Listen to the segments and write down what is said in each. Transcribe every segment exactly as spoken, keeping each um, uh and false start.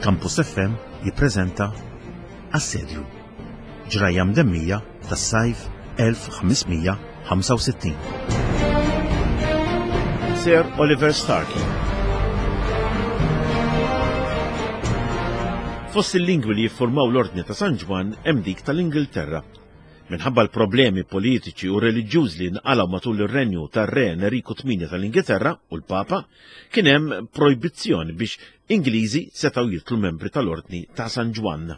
Campus F M jippreżenta Assedju, ġrajja mdemmija tas-sajf elf ħames mija ħamsa u sittin. Sir Oliver Starkey. Fost il-lingwi li jiffurmaw l-Ordni ta' San Ġwann hemm dik tal-Ingilterra. Minħabba l-problemi politiċi u reliġjużi li nqalgħu matul ir-renju tar-Re Enriku tmienja tal-Ingilterra u l-Papa, kien hemm projbizzjoni biex Ingliżi setgħu jitlu membri tal-Ordni ta' San Ġwann.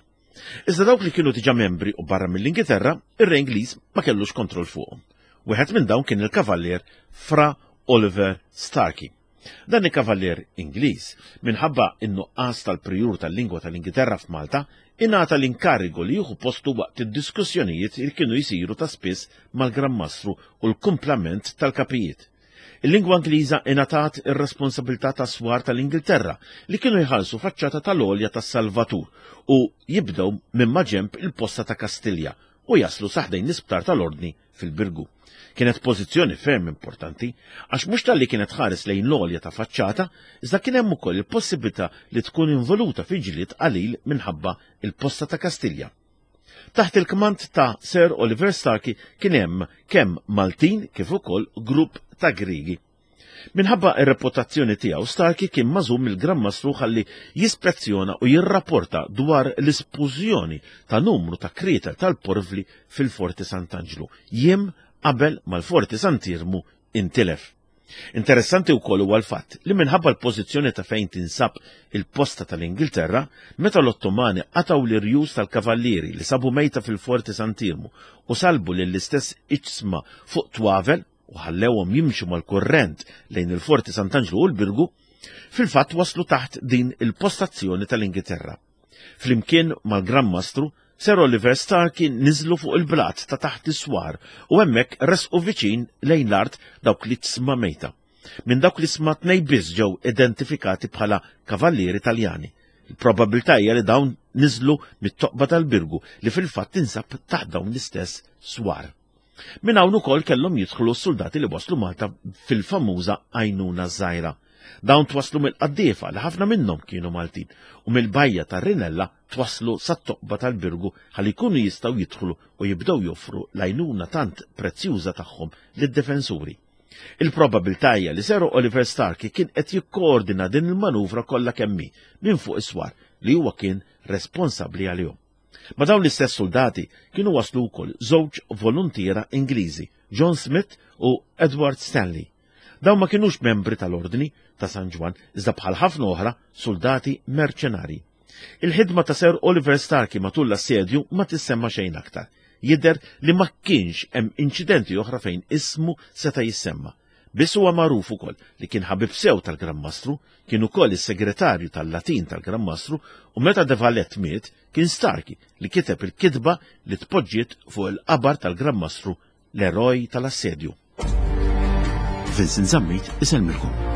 Iżda dawk li kienu diġà membri u barra mill-Ingilterra, ir-Re Ingliż ma kellux kontroll fuqhom. Wieħed minn dawn kien il-Kavallier Fra Oliver Starkey. Dan il-Kavallier Ingliż, minħabba in-nuqqas tal-prijur tal-lingwa tal-Ingilterra f'Malta, ingħata l-inkarigu li jieħu postu waqt id-diskussjonijiet li kienu jsiru ta' spiss mal-Gran Mastru u l-kumplament tal-kapijiet. Il-lingwa Ingliża ingħatat ir-responsabilità ta' swar tal-Ingilterra li kienu jħallsu faċċata tal-għolja tas-Salvatur u jibdew minn maġenb il-posta ta' Kastilja u jaslu saħdejn l-isptar tal-Ordni fil-Birgu. Kienet pożizzjoni ferm importanti għax mhux talli kienet ħares lejn l-għolja ta' faċċata, iżda kien hemm ukoll il-possibilità li tkun involuta fi ġlied qalil minħabba il-posta ta' Kastilja. Taħt il-kmand ta' Sir Oliver Starkey kien hemm kemm Maltin kif ukoll grupp ta' Griegi. Minħabba ir-reputazzjoni tiegħu, Starkey kien magħżul mill-Gran Mastru ħalli jispezzjona u jirrapporta dwar l-ispużjoni ta' numru ta' krietel tal-porvli fil-Forti Sant'Anġlu, jiem qabel mal-Forti Sant'Iermu intilef. Interessanti wkoll huwa l-fatt li minħabba l-pożizzjoni ta' fejn tinsab il-posta tal-Ingilterra, meta l-Ottomani qatgħu l-irjus tal-kavallieri li sabu mejta fil-Forti Sant'Iermu u salbu lill-istess iġsma fuq twavel u ħallewhom jimxu mal-kurrent lejn il-Forti Sant'Anġlu u l-Birgu, fil-fatt waslu taħt din il-postazzjoni tal-Ingilterra. Flimkien mal-Gran Mastru, Sir Oliver Starkey niżlu fuq il-blat ta' taħt is-swar u hemmhekk resqu viċin lejn l-art dawk li tsma mejta. Minn dawk li sma tnej biss ġew identifikati bħala kavallieri Taljani. Il-probabilità hija li dawn niżlu mit-toqba tal-Birgu li fil-fatt tinsab taħt dawn l-istess swar. Minn hawn ukoll kellhom jidħlu s-soldati li waslu Malta fil-famuża għajnuna żgħira. Dawn twaslu mill-qaddiefa li ħafna minnhom kienu Maltin u mill-bajja tar-Rinella twaslu sat-toqba tal-Birgu ħalli jkunu jistgħu jidħlu u jibdew joffru l-għajnuna tant prezzjuża tagħhom lid-difensuri. Il-probabilità hija li Sir Oliver Starkey kien qed jikkoordina din il-manuvra kollha kemm hi minn fuq is-swar li huwa kien responsabbli għalihom. Ma' dawn l-istess soldati kienu waslu wkoll żewġ voluntiera Ingliżi, John Smith u Edward Stanley. Dawn ma kienux membri tal-Ordni ta' San Ġwann, iżda bħal ħafna oħra soldati merċenari. Il-ħidma ta' Sir Oliver Starkey matul l-assedju ma tissemma xejn aktar. Jidher li ma kienx hemm inċidenti oħra fejn ismu seta' jissemma. Biss huwa magħruf ukoll li kien ħabib sew tal-Gran Mastru, kien ukoll is-segretarju tal-Latin tal-Gran Mastru u meta De Valette miet kien Starkey li kiteb il-kitba li tpoġġiet fuq il-qabar tal-Gran Mastru, l-eroj tal-assedju. Vincent Zammit isellmilkom.